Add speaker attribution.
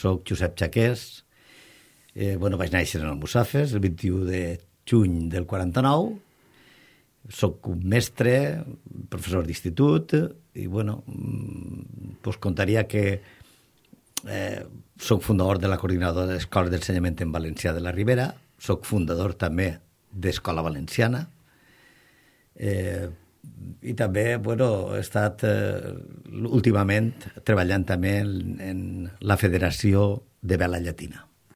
Speaker 1: Soc Josep Chaqués, vaig néixer en Almussafes el 21 de juny del 49, soc un mestre, professor d'institut, i contaria que soc fundador de la coordinadora d'escoles d'ensenyament en valencià de la Ribera, soc fundador també d'Escola Valenciana, i també he estat últimament treballant també en la Federació de Vela Llatina.